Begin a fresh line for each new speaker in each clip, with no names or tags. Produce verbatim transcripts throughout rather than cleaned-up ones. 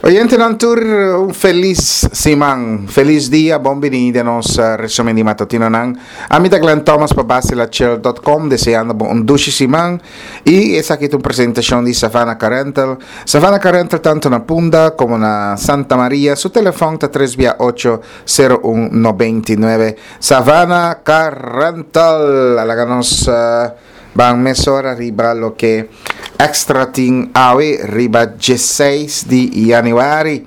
Oyentenan tur, un felis siman, felis dia, bon bini den nos resumen di matutinonan. Ami ta Glenn Thomas pa Basilachel dot com, deseando bo un dushi siman. Y esaki ta un presentacion di Savannah Car Rental. Savannah Car Rental tanto na Punda como na Santa Maria. Su telefon ta tres bia ocho, sero un, noventa i nuebe. Savannah Car Rental. Alaga nos ban mesora riba loke Extra tin awe riba diesseis di januari.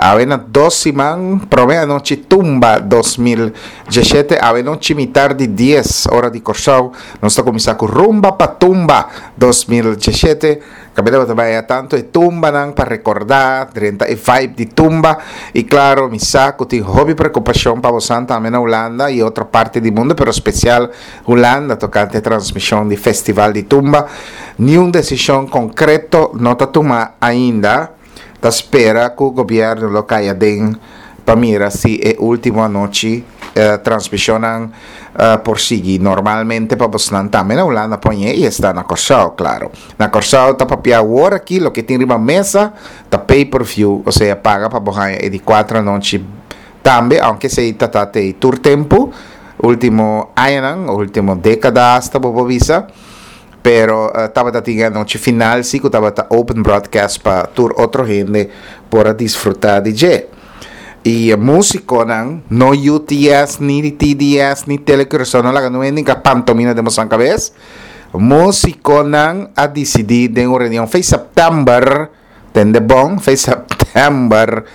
Awe na dos siman prome anochi Tumba dos mil diesshete. Awe nochi mitar di dies ora di Kòrsou nos ta kuminsá ku Rumba pa Tumba dos mil diesshete. Kabida bo ta bai tantu e tumbanan pa rekordá, drenta e vibe di tumba. I klaro mi sa ku tin hopi preokupashon pa bosan tambe na Hulanda i otro parti di mundu, pero spesial Hulanda tokante e transmishon di Festival di Tumba. Niun desishon konkreto no ta tuma ainda. Ta spera ku gobièrnu lo kai aden pa mira si e último anochi transmishonnan por sigui normalmente pa bosnan tambe na Hulanda poñe i esta na Kòrsou, klaro. Na Kòrsou ta papia awor aki loke tin riba mesa ta pay per view, osea paga pa bo haña e di kuater anochi tambe, aunke esei ta ta tei tur tempu, último añanan, último dékada asta bo por bisa. Pero tabata tin e anochi final si ku tabata open broadcast pa tur otro hende por a disfruta di dje. I e músikonan, no U T S, ni T D S, ni Tele Curaçao, no laga no hende ka pantomina den bosan kabes. Músikonan a disidí den un reunion fei september, tende bon, fei september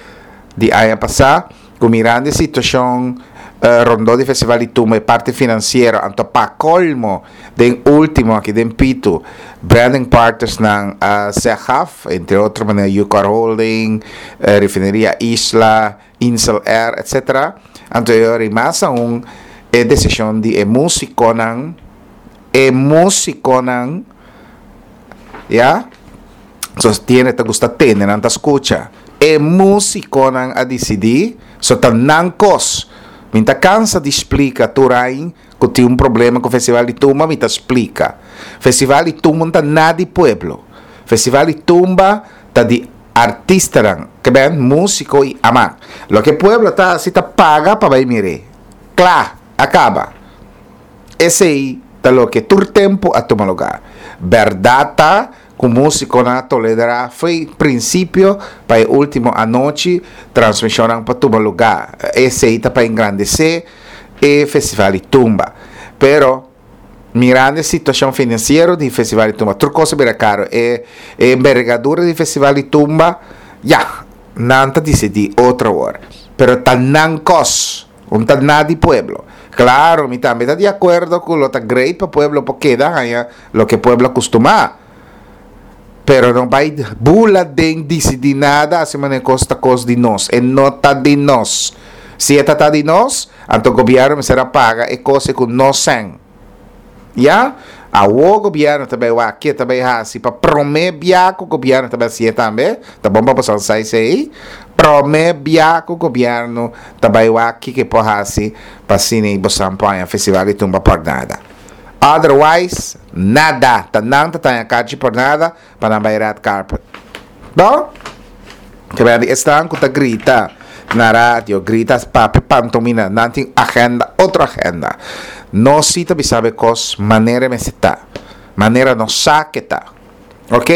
di aña pasá, ku mirando e situashon rondó di Festival di Tumba e parti finansiero, anto pa colmo den último aki den Pitu, branding partners nan a zeg af, entre otro manera Ucar Holding, Refineria Isla, Insel Air, etcétera. Anto e ora mas aún e decisión di e músiconan, e músiconan, ya, sostiene te gusta tene, nan ta escucha. E músiconan a decidí, so ta nan kos. Mi ta cansa di explica tur ain ku tin un problema ku Festival di Tumba, mi ta explica. Festival di Tumba ta na di pueblo. Festival di Tumba ta di artistanan, ke ben músico i amak. Lo ke pueblo ta si ta paga pa bai mire. Kla, acaba. Esei ta lo ke tur tempo a tuma lugar. Berdad ta ku músico na toledra foi principio pa e último anochi transmisionan pa tuma lugar. Esei ta pa engrandecer e Festival di Tumba. Pero mirando e situacion financiero di Festival di Tumba, tur cosa bira caro. E, e envergadura di Festival di Tumba, ya, nan ta decidi otro ora. Pero ta nan kos, un ta na di pueblo. Claro, mi tambe ta di acuerdo ku lo ta great pa pueblo po queda haya lo que pueblo acostuma. Pero no vai bula den decidi nada, así mané costa cos di nos. E no ta di nos. Si e ta di nos, anto gobierno me será paga e cose ku nos sen. Ya? Awo gobierno tambe wa ke tambe hasi pa prome bia ku gobierno tambe hasi tambe. Ta bom pa pasar sai sei. Prome bia ku gobierno tambe wa ki ke po hasi pa sine bosan poña Festival di Tumba por nada. Otherwise, nada. Ta nan ta tanya kachi por nada pa nan bai red carpet. No? Ke ben di estan ku ta grita na radio, grita papi pantomina, nan tin agenda, otro agenda. No si ta bisabe kos manera me sita. Manera no sa ke ta. Ok?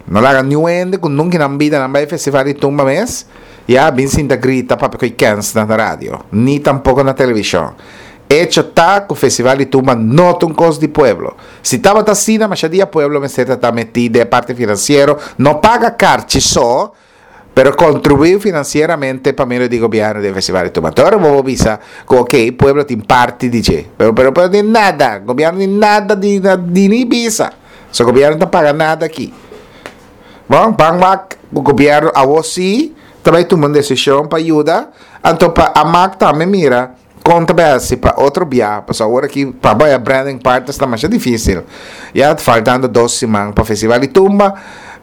No laga ni wende ku nunca nan vida nan bai Festival di Tumba mes. Ya, bin sinta grita papi koi kens na radio. Ni tampoco na televisión. Hecho ta ku Festival di Tumba no ta un kos di pueblo. Si taba ta asina, ma dia pueblo me seta ta metí de parte financiero, no paga carchi so, pero contribuir financieramente pa medio di gobierno del Festival di Tumba. Ahora vos bisa ku ok, pueblo tin parte di che, pero, pero, pero ni nada, gobierno ni nada di, di ni bisa. So gobierno no paga nada aquí. Bon, ban wak, gobierno a vos sí, también toma una decisión pa ayuda, anto pa amak también mira, conta bem, pa outro bia, pa agora aqui, pa boia branding part está mais difícil. Ya faltando dos semanas pa Festival di Tumba,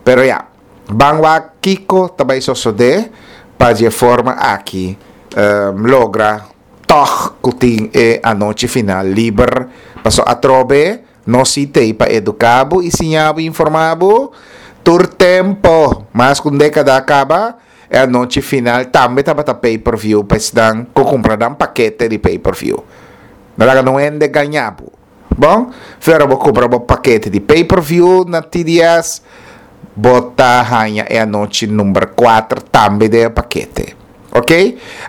pero ya, ban wak Kiko também sosode pa de forma aqui, um, logra toch kuting e anoche final liber, paso atrobe no sitei pa educabo e sinhabo e informabo tur tempo. Mas ku un dékada kaba, e anochi final tambe tabata pay-per-view pa esnan ku kumpra nan pakete di pay-per-view. No laga niun hende gaña bo. Bon, si bo kumpra un pakete di pay-per-view na T D S, bo ta haña e anochi number kuater tambe den pakete. Ok?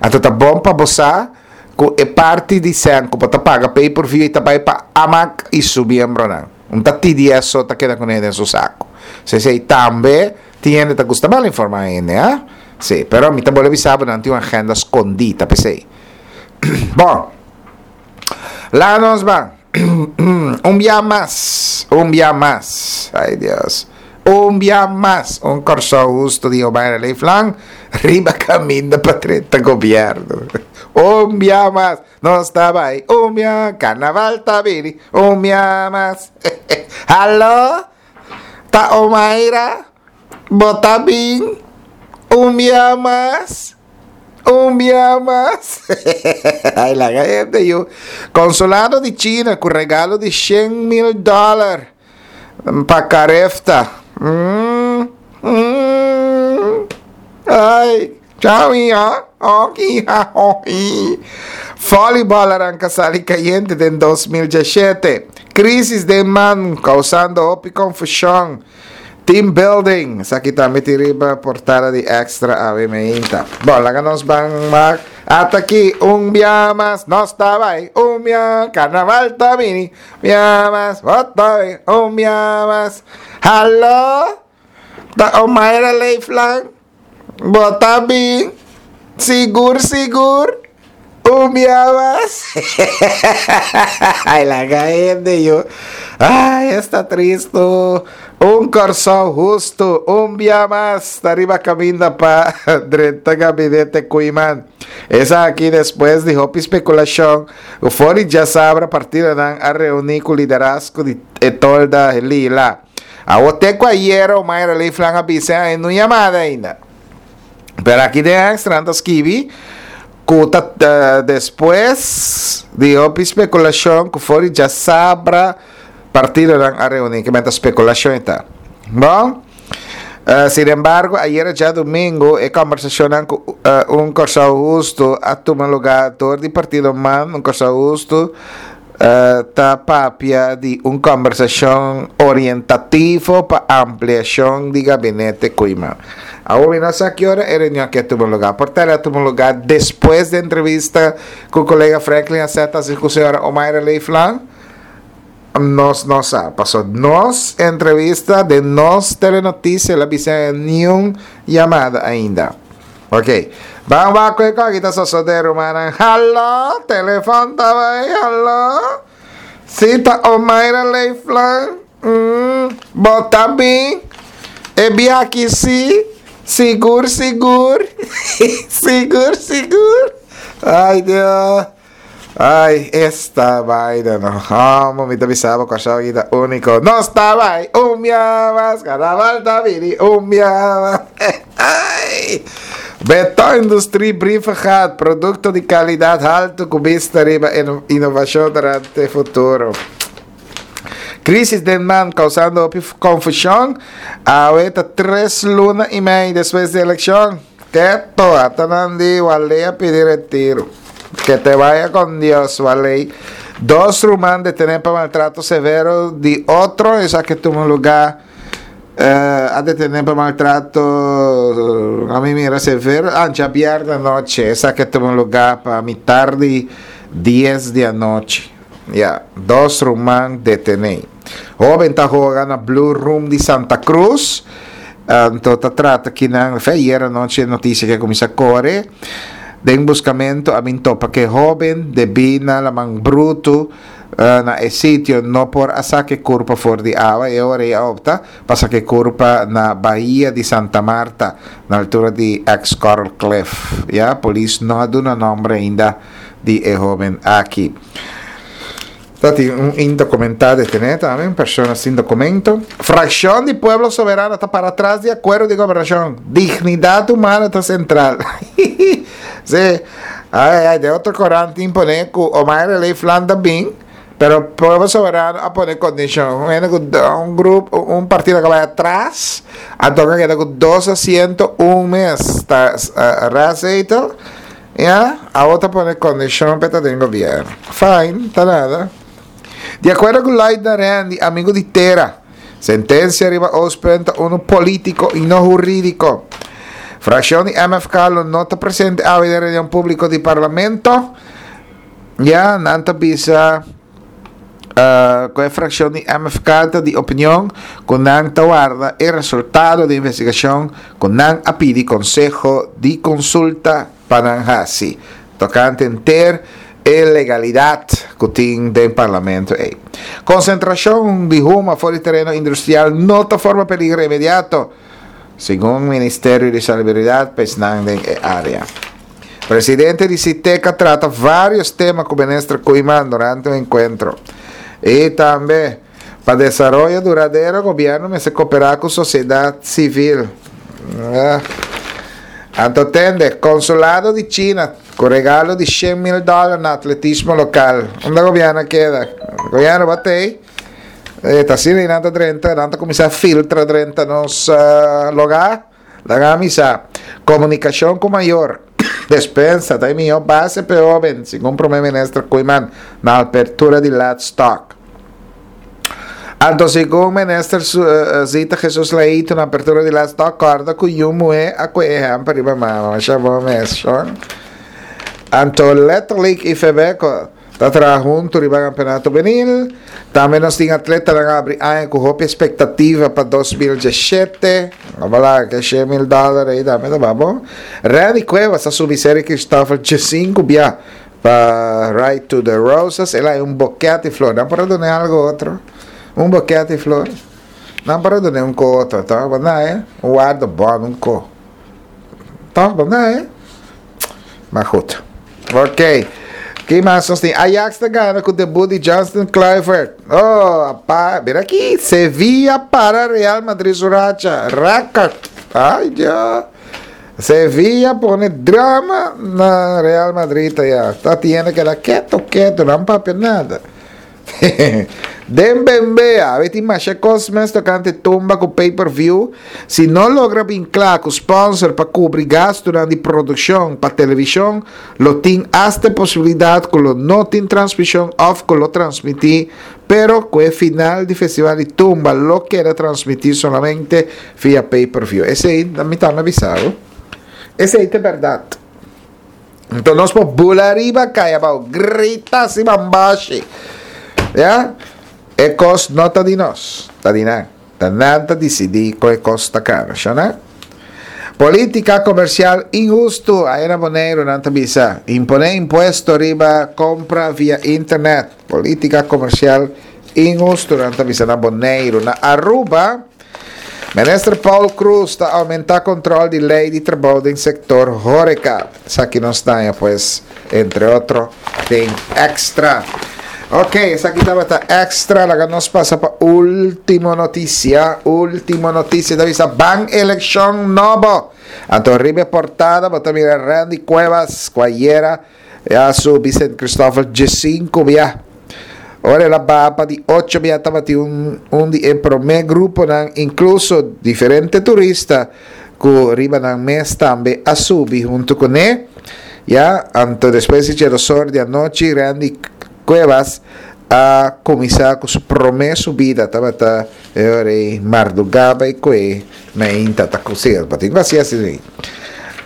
Anto ta bon pa bo sa ku e parti di sèn ku bo ta paga pay-per-view ta bai pa AMAC i su miembronan. No ta T D S so ta keda kuné den su saku. Si si tambe tin ta gusta mal informá ainda, eh? Si, pero mi tambe sabi nan tin un agenda skondí, ta p'esei. Bon. Laga nos ban. Un dia mas, un dia mas. Ai, Dios. Un dia mas, Un Kòrsou Hustu di Omayra Leeflang, riba kaminda pa drenta gobièrnu. Un dia mas, nos ta bai. Un dia, karnaval ta bini. Un dia mas. Hallo? Ta Omayra? Bo ta bin? Un dia mas. Un dia mas. Ai, laga hende yu. Konsulado di China ku regalo di shen mil dòler pa Carefta. Mm, mm. Ai, chau, ya. Ok, Volleyball a ranka sali kayente den dos mil diesshete. Krísis den MAN, kousando hopi konfushon. Team building. Esaki tambe tin riba portada di Extra awe mainta. Bon, laga nos ban mak. Ata aki, un dia mas, nos ta bai. Un dia, karnaval ta bini. Dia mas, bai. Un dia mas. Hallo? Ta Omayra Leeflang? Bo ta bin? Sigur, sigur? Un dia mas. Ai, laga hende yu. Ai, ta tristu. Un Kòrsou Hustu, un dia mas, ta riba kaminda pa drenta gabinete Koeiman. Esaki despues di hopi spekulashon, for di djasabra partidonan a reuní ku liderazgo di tolda lila. Awor te ku ayera Omayra Leeflang a bisa no yamada ainda. Pero aki den Extra ta skibi ku ta uh, despues di hopi spekulashon ku for di djasabra partidonan a reuní, ke ta spekulashon ta. Bon, Uh, sin embargo, ayera djadumingu, e kombersashon ku uh, Un Kòrsou Hustu a tuma lugá dor di partido MAN, Un Kòrsou Hustu, uh, ta papia di un kombersashon orientativo pa ampliashon di gabinete Koeiman. Awor, no sa ki ora e reunion aki a tuma lugá. Por ta a tuma lugá despues di e entrevista ku kolega Franklin Aceta ku señora Omayra Leeflang. Nos no sa. Pasó nos entrevista den nos telenotisia, el a bisa ningun yamada ainda. Ok. Ban wak kiko aki ta sosodé, ruman. Hallo, telefòn ta bai, hallo. Si, ta Omayra Leeflang. Mm, bo ta bin? E biaha aki si. Sigur, sigur. Sigur, sigur. Ai, Dios. Ai, esta vaina, no. Amo, mi ta bisaba, Kòrsou ta úniko. Nos ta bai, un dia mas, karnaval ta bini, un dia mas. Ai. Beton Industrie Brievengaat, produkto di kalidat haltu ku bista riba inovashon durante futuro. Krísis den MAN kousando konfushon. Awor ta tres luna i mei despues di elekshon. Ketu, ata nan di Wallé a pidi retiro. Que te vaya con Dios, Wallé. Dos ruman detené pa maltrato severo di otro, esaki a tuma lugá uh, a detené pa maltrato, ami mira severo, ah, djabièrnè anochi, esaki a tuma lugá pa mitar di dies di anochi. Ya, dos ruman detené. Hóben ta hoga na Blue Room di Santa Cruz. Anto ta trata aki na ayera anochi notisia ku a kuminsá kore. Den buskamentu a bin topa ku hóben debí na laman brutu uh, na e sitio no por a saka kurpa for di awa i awor a opta pa saka kurpa na Bahia di Santa Marta, na altura di ex Coral Cliff. Ya, polis no a duna nòmber ainda di e hóben aki. Tin un indokumentá detené tambe, un persona sin dokumento. Frakshon di Pueblo Soberano ta para tras di akuerdo di gobernashon. Dignidat humano ta sentral. Si. Ai, ai, den otro korant ta pone ku Omayra Leeflang bin, Pero Pueblo Soberano a pone kondishon. Un grupo, un partido ku bai atras, anto a keda ku dos asiento, un mes ta uh, raadszetel, ya, awor ta pone kondishon pa ta den gobièrnu. Fine, ta nada. Di akuerdo ku Lloyd Randy, amigu di tera, sentensia riba Oostpunt un polítiko i no hurídiko. Frakshon di M F K no ta presente na reunion públiko di parlamento. Ya, nan ta bisa uh, ku e frakshon di M F K di opinion ku nan ta warda e resultado di investigashon ku nan a pidi Konseho di Konsulta pa nan hasi tokante henter e legalidat ku tin den parlamento ei. Konsentrashon di huma for di tereno industrial no ta forma peliger inmediato, segun Ministerio di Salubridat pa esnan den e área. Presidente di SITECA a trata vários tema ku minister Koeiman durante e enkuentro. I tambe, pa desaroyo duradero, gobièrnu mester koperá ku sosiedat sivil. Ah. Anto tende, konsulado di China, ku regalo di shen mil dòler na atletismo lokal. Unda gobièrnu a keda? Gobièrnu bate ei. Eh, ta asina, nan ta drenta, nan ta kuminsá filtra drenta nos uh, lugá. Laga mi sa. Komunikashon ku mayor. Despensa, ta mihó base pa hóben, segun promé minister Koeiman, na apertura di Let's Talk. Anto, segun minister uh, Zita Jesus Leito na apertura di Let's Talk, kòrda ku yu muhé a kue ehèmpel riba mama, masha bon mes. Anto, letterlijk I F B ta traha huntu riba kampeonato hubenil. Tambe nos tin atletanan a habri aña ku hopi ekspektativa pa dos mil diesshete. Ban laga, ku shen mil dòler ei tambe ta bon. Randy Cuevas a subi Ser'i Christopher diesinku bia pa Ride to the Roses. El a un buket di flor. Nan por duna algu otro. Un buket di flor. Nan por duna un kos otro, ta? Bon, eh? Un warda bon, un kos. Ta, bon, eh? Maar goed. Ok. Ki mas nos tin? Ajax ta gana ku debut di Justin Kluivert. Oh, pa, mira aki. Sevilla para Real Madrid su racha. Record. Ai, ya. Sevilla pone drama na Real Madrid ya. Ta tiene que keda ketu, ketu, no papia nada. Den bembea, tin mas kos mes tokante tumba ku pay-per-view. Si no logra bin kla ku sponsor pa kubri gastu di produkshon pa televishon, lo tin asta posibilidat ku lo no tin transmishon òf ku lo transmití, pero ku e final di festival di tumba lo keda transmití solamente via pay-per-view. Esei, mi ta avisá. Esei ta berdat. Anto nos por bula ariba, kai abou, grita asina bambashi. Ya? E kos no ta di nos, ta di nan. Ta nan ta disidí ku e kos ta kara, no? Polítika komersial inhustu, ei na Boneiru nan ta bisa. Imponé impuesto riba kompra via internet. Polítika komersial inhustu, nan ta bisa na Boneiru. Na Aruba, Minister Paul Croes ta oumentá kontròl di lei di trabou den sektor horeca. Esaki nos ta, pues, entre otro, tin Extra. Ok, esaki tabata Extra. Awor nos pasa pa último notisia. Último notisia. Ta bisa ban elekshon nobo. Anto riba portada, bo ta mira Randy Cuevas, ku ayera a subi Saint Christopher diesinku bia. Ora el a baha di ocho bia, tabatin un un di e promé gruponan, inkluso diferente turista ku riba nan mes tambe a subi huntu kuné. Ya, anto despues di or di anochi, Randy Cuevas a kuminsá ku su promé subida, tabata e mardugá i ku mainta ta kusir, pa tin asina asina.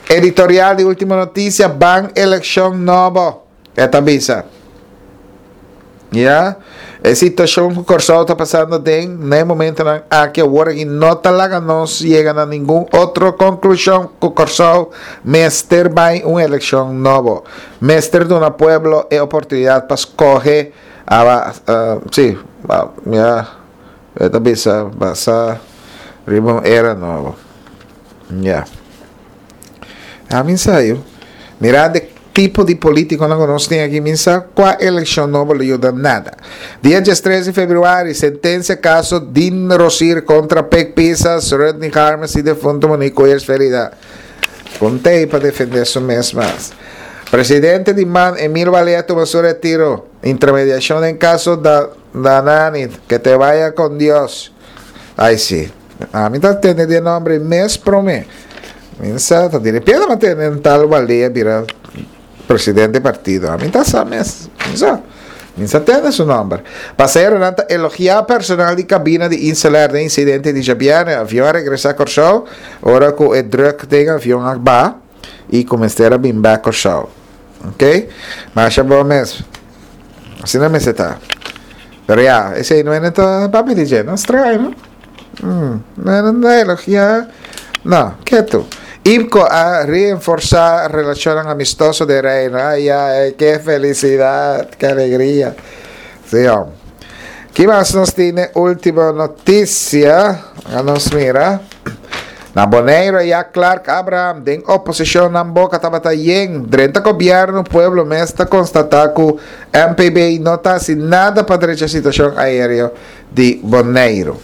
Editorial di Último Notisia: ban elekshon nobo. E ta bisa. Ya, e situashon ku Kòrsou ta pasando den, na momentonan aki awor i no ta laga nos yega na ningun otro konklushon ku Kòrsou mester bai un elekshon nobo. Mester duna pueblo e oportunidat pa skohe a uh, sí, ya, ta bisa pasa riba un era nobo. Ya. Ami sa yu. Mirando tipo di polítiko ku nos tin aki, mi sa kua elekshon nobo lo yuda nada. Dia diestres di febrüari, sentensia kaso Dean Rosier kontra Pek Pisas, Rodney Harmes i defuntu Monique Ferida. Kontei pa defendé su mes mas. Presidente di M A N, Emil Valea, tuma su retiro. Intermediacion den caso da Dananit. Que te vaya con Dios. Ay, sí. Ami ta tende e nomber mes prome. Mi sa, ta di repente m'a tende tal Valea bira presidente di partido. Ami ta sa mes. Mi sa. Mi sa tende su nomber. Pasaheronan ta elogia personal di cabina di InselAir den incidente di djabièrnè. Avion a regresa Kòrsou, ora ku e druk den avion a baha i kuminsá bin bèk Kòrsou. Ok? Masha bon mes. Asina mes ta. Pero ya, esei no ta papi D J, no straño, no? Mm, no, no elogia. No, ketu. IPKO a reforsá relashon amistoso den Reino. Ay, ay, ke felisidat, ke alegria. Sí, oh. Ki mas nos tin? Último notisia. Nos mira. Na Bonaire, ya Clark Abraham, den oposishon nan boka tabata yen. Drenta gobièrnu, pueblo mes ta konstatá ku M P B no ta hasi nada pa drecha situashon aéreo di Bonaire.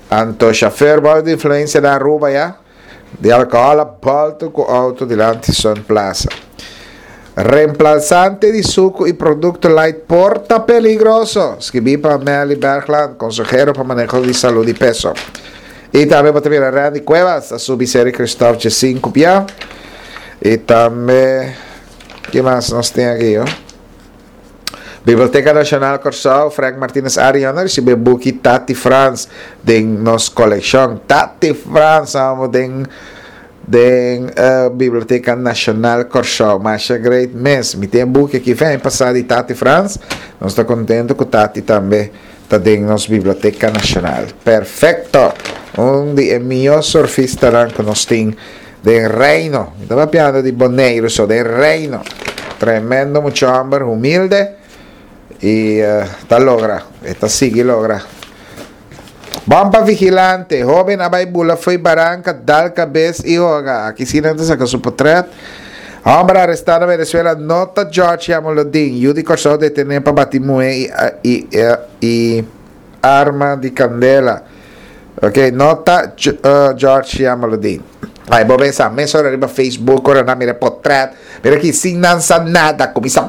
Anto, chauffeur bou di influensia na Aruba ya, di alkohòl a bòltu ku outo dilanti Sun Plaza. Reemplasante di suku i produkto light por ta peligroso. Skirbí pa Melly Bergland, konsehero pa maneho di salú i peso. I tambe pa mira Randy Cuevas, a subi Ser'i Kristòf sinku pia. I tambe, ki mas nos tin aki, oh? Biblioteka Nashonal Kòrsou, Frank Martinez Arion, a risibí buki Tati Frans den nos kolekshon. Tati Frans, amo den den uh, Biblioteka Nashonal Kòrsou. Masha great mes. Mi tin buki aki, ven pasa di Tati Frans. Nos ta kontentu ku Tati tambe ta den nos Biblioteka Nashonal. Perfekto. Un di e mihó surfistanan ku nos tin den Reino. Tabata papiando di Boneiru, so den Reino. Tremendo mucha hòmber, humilde i uh, ta logra, ta sigui logra. Bon pa Vigilante, hóben a bai bula fo'i baranka, dal kabes i hoga. Aki si nan ta saka su potrèt. Hòmber arestá na Venezuela, no ta George Jamaloodin. Yu di Kòrsou detené pa bati muhé i, i, i, i arma di kandela. Ok, no ta uh, George Jamaloodin. Ai, bo pensa, mesora riba Facebook, ora nan mira potrèt, mira aki, sin nan sa nada, kuminsá,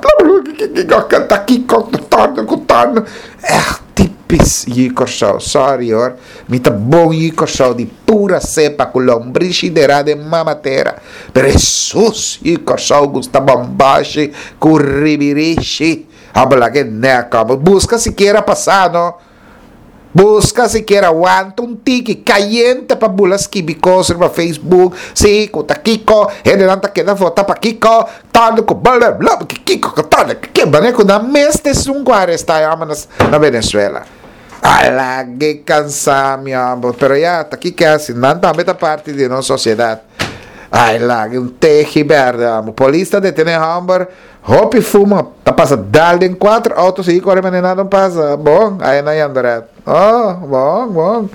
ta kiko, torno, torno. Echt typisch yu Kòrsou. Sorry hoor. Mi ta bon yu Kòrsou di pura sepa ku lombrishi derá den mama tera. Pero Jesus, yu Kòrsou gusta bombashi ku ribirishi. Habla ke neka. Buska sikiera pasa, no? Buska sikiera wanta un tiki kayente pa bula skibi kos riba Facebook. Si, ku ta kiko, hende nan ta keda vota pa kiko, tanto ku bla bla kiko, ku tanto ke bane ku na mes te sun ku arestá na, na Venezuela. Ala, ke kansá mi amor. Pero ya, ta ki kasi, nan tambe ta parti di nos sosiedat. Ai, laga un teji berde, amo. Polis ta detené hòmber, hopi fuma, ta pasa dal den kuater outo, si kore manera nada pasa. Bon, ai na Jandoret. Oh, bon, bon.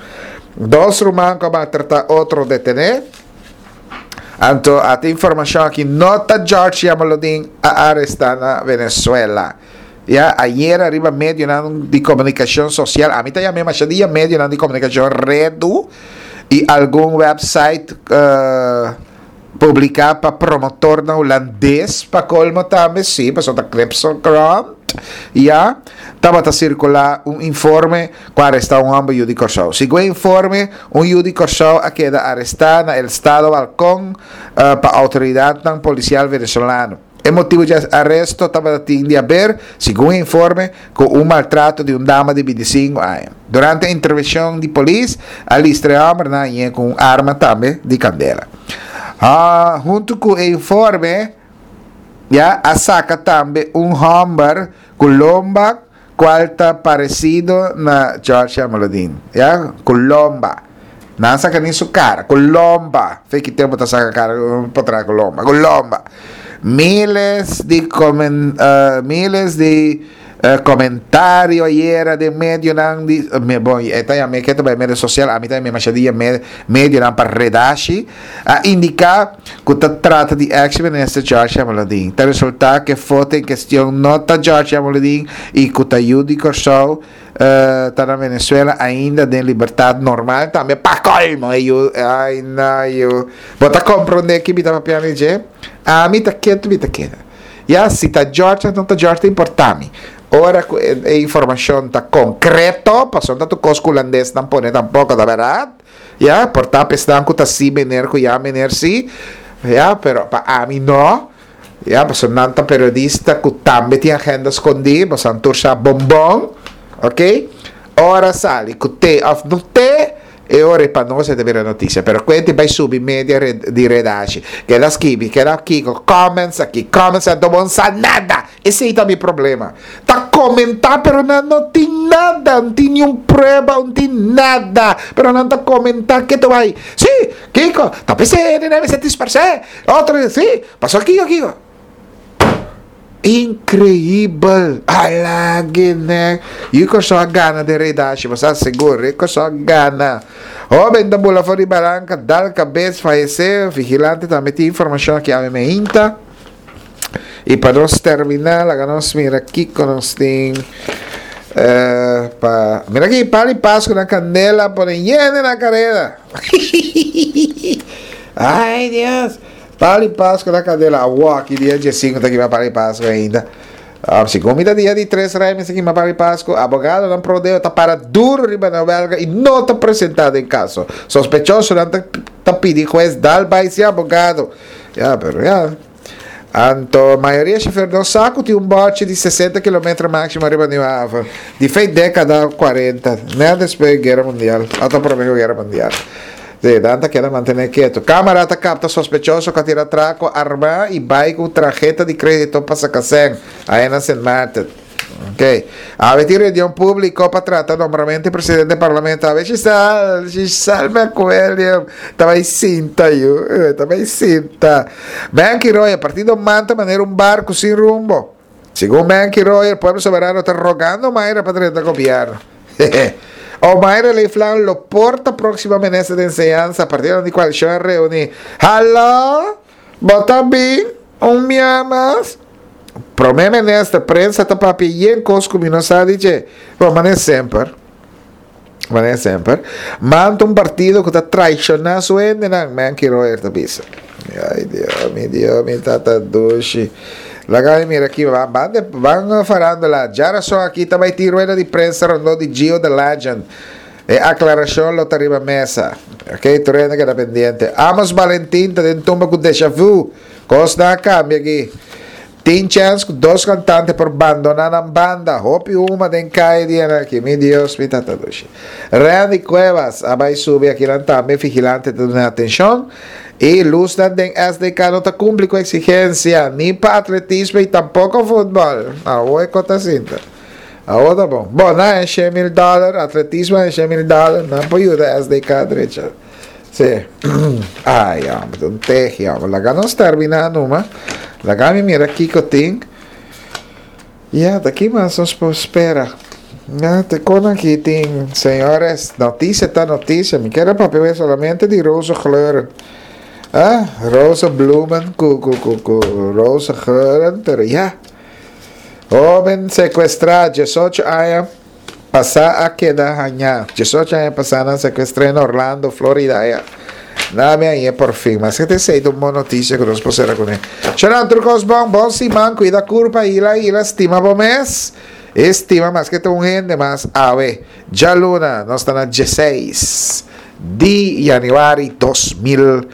Dos ruman ku maltratá otro detené. Anto, e informashon aki, no ta George Jamaloodin a arestá na Venezuela. Ya, ayera riba medio di komunikashon sosial, ami ta yama masha dia medio di komunikashon redu i algun website uh, publiká pa promotor na hulandes, pa kolmo tambe, sí, pasobra ta Kripsokrant, ya, tabata sirkulá un informe ku a arestá un hòmber di Kòrsou. Segun e informe, un yu di Kòrsou a keda arestá na estado Falcón uh, pa outoridat polisial venezolano. E motibu di aresto tabatin di haber, segun e informe, ku un maltrato di un dama di bintisinku aña. Durante e intervenshon di polis, a listra e hòmber ku un arma tambe di kandela. Ah, huntu ku e informe, ya, a saka tambe un hòmber ku lomba, kual ta paresido na George Jamaloodin. Ya, ku lomba. No saka ni su kara, ku lomba. Fe ki tempu ta saka kara pa tras ku lomba, ku lomba. Miles di comen, uh, miles di uh, komentario ayera den medionan di uh, me bon, esta ya me ke tambe medio sosial, ami tambe masha dia me medionan pa redashi a indiká ku ta trata di ex minister George Jamaloodin. Ta resultá ku e foto en kuestion no ta George Jamaloodin i ku ta yu di Kòrsou uh, ta na Venezuela ainda den libertat normal tambe pa kolmo yu. Ai na yu, bo ta komprondé ki mi ta papiando dje. Ami ta ketu, mi ta keda. Ya, si ta George, no ta George, ta importá mi. Ora ku e, e informashon ta konkreto, pasobra no ta tur kos ku hulandes nan pone tampoko, ta bèrdat? Ya, por ta esnan ku ta si meneer ku ya meneer si. Ya, pero pa ami no. Ya, pasobra nan ta periodista ku tambe tin agenda skondí, pasobra nan tur sa bon bon. Ok? Ora sali ku t'e òf no t'e, e ora pa nos e ta bira notisia. Pero kuenta bai subi media red, di redashi. Keda skibi, keda kiko, comments aki, comments anto bo no sa nada. Esei ta mi problema. Ta komentá pero nan no tin nada, no tin niun prueba, no tin nada. Pero nan ta komentá ke ta bai. Sí, kiko, ta p'esei hende mester dispersé. Otro, sí, pasó kiko, kiko. Inkreibel! Alage nek. Yu Kòrsou a gana den redashi, bo sa sigur, Yu Kòrsou a gana. Hóben ta bula for di baranka, dal kabes, fayesé. Vigilante tambe tin informashon aki awe meinta. I pa nos terminá, laga nos mira kiko nos tin eh, pa... Mira aki, Pali Pasku na kandela pone yende na kareda. Ai, Dios! Pali Pasku na kandela. Awor aki dia diesinku ta kima Pali Pasku ainda. Ah, segun mi ta dia di tres rei mester kima Pali Pasku. Abogadonan pro deo ta para duro riba nan welga i no ta presentá den kaso. Sospechosonan ta, ta pidi hues dal bai sin abogado. Ya, pero ya. Anto mayoria shofer no sa ku tin un bòchi di sesenta kilometer máksimo riba New Haven. Di fei dékada kuarenta, nèt despues di Guera Mundial, òf promé ku Guera Mundial. Sí, nan ta keda mantené ketu. Kámara ta kapta sospechoso ku a tira atrako armá i bai ku traheta di krédito pa saka sèn aya na Sint Maarten. Ok. Awe tin reunion públiko pa trata nombramentu di presidente di parlamento. Awe Giselle, Giselle McWilliam ta bai sinta yu, ta bai sinta. Menky Royer, Partido man ta manera un barku sin rumbo. Segun Menky Royer, Pueblo Soberano ta rogando Mayra pa drenta gobierno. Omayra Leeflang lo por ta próksimo minister di enseñansa, partidonan di koalishon a reuní. Hallo? Bo ta bin? Un mia mas? Prome minister, prensa ta papia yen kos ku mi no sa di dje. Bon, manera semper. Manera semper. Man ta un partido ku ta traishoná su hendenan, Menky Royer ta bisa. Ay Dios, mi Dios, mi tata dushi. Laga mi mira aki, ban, ban, de, ban farándula. Djarason aki ta bai tin rueda di prensa rondó di Gio the Legend. E aklarashon lo ta riba mesa. Ok, tur hende keda pendiente. Amos Valentin ta den tumba ku Deja Vu. Kosnan a kambia aki. Tin chèns ku dos kantante por bandoná nan banda. Hopi huma den kaya di dianan aki. Mi Dios, mi tata dushi. Randy Cuevas a bai subi akinan tambe. Vigilante ta duna atenshon. E lusnan den S D K no ta kumpli ku eksigensia, ni pa atletismo i tampoko futbòl. Awor e kos ta sinta. Awor ta bon. Bon, nan a shen mil dòler, atletismo a shen mil dòler, nan por yuda S D K drecha. Sí. Ai, hombre, ta un tehi, hombre. Laga nos terminá numa. Laga mi mira kiko tin. Ya, ta ki mas nos por spera? Ya, te kon aki tin, señores, notisia ta notisia. Mi kier a papia wes solamente di roze kleuren. Ah, roze bloemen ku, ku, ku, ku roze geuren, pero ya. Hoben sekuestrá diesocho aña pasá a keda hañá. Diesocho aña pasá nan sekuestr'é na Orlando, Florida. Ya. Nan mi hañ'é por fin. Maske ta esei ta un bon notisia ku nos por sera kuné. Shonnan, tur kos bon. Bon siman. Kuida kurpa. Hila, hila. Stima bo mes. E stima maske ta un hende mas awe. Djaluna, nos ta na dieseis di yanüari dos mil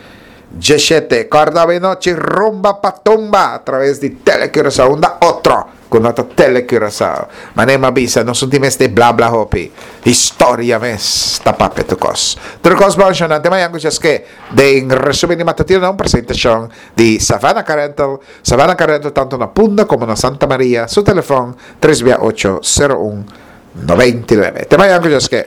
Djeshete, Kòrda awe nochi rumba pa tumba a traves di Tele Curaçao, unda otro ku no ta Tele Curaçao. Manera mi a bisa, nos no tin mester bla bla hopi. Historia mes ta papia tur kos. Tur kos bon shonnan, te mañan ku djaske den resumen di Matutino na un presentashon di Savannah Car Rental. Savannah Car Rental tanto na Punda komo na Santa Maria. Su telefòn, tres bia ocho, sero un, noventa i nuebe. Te mañan ku djaske.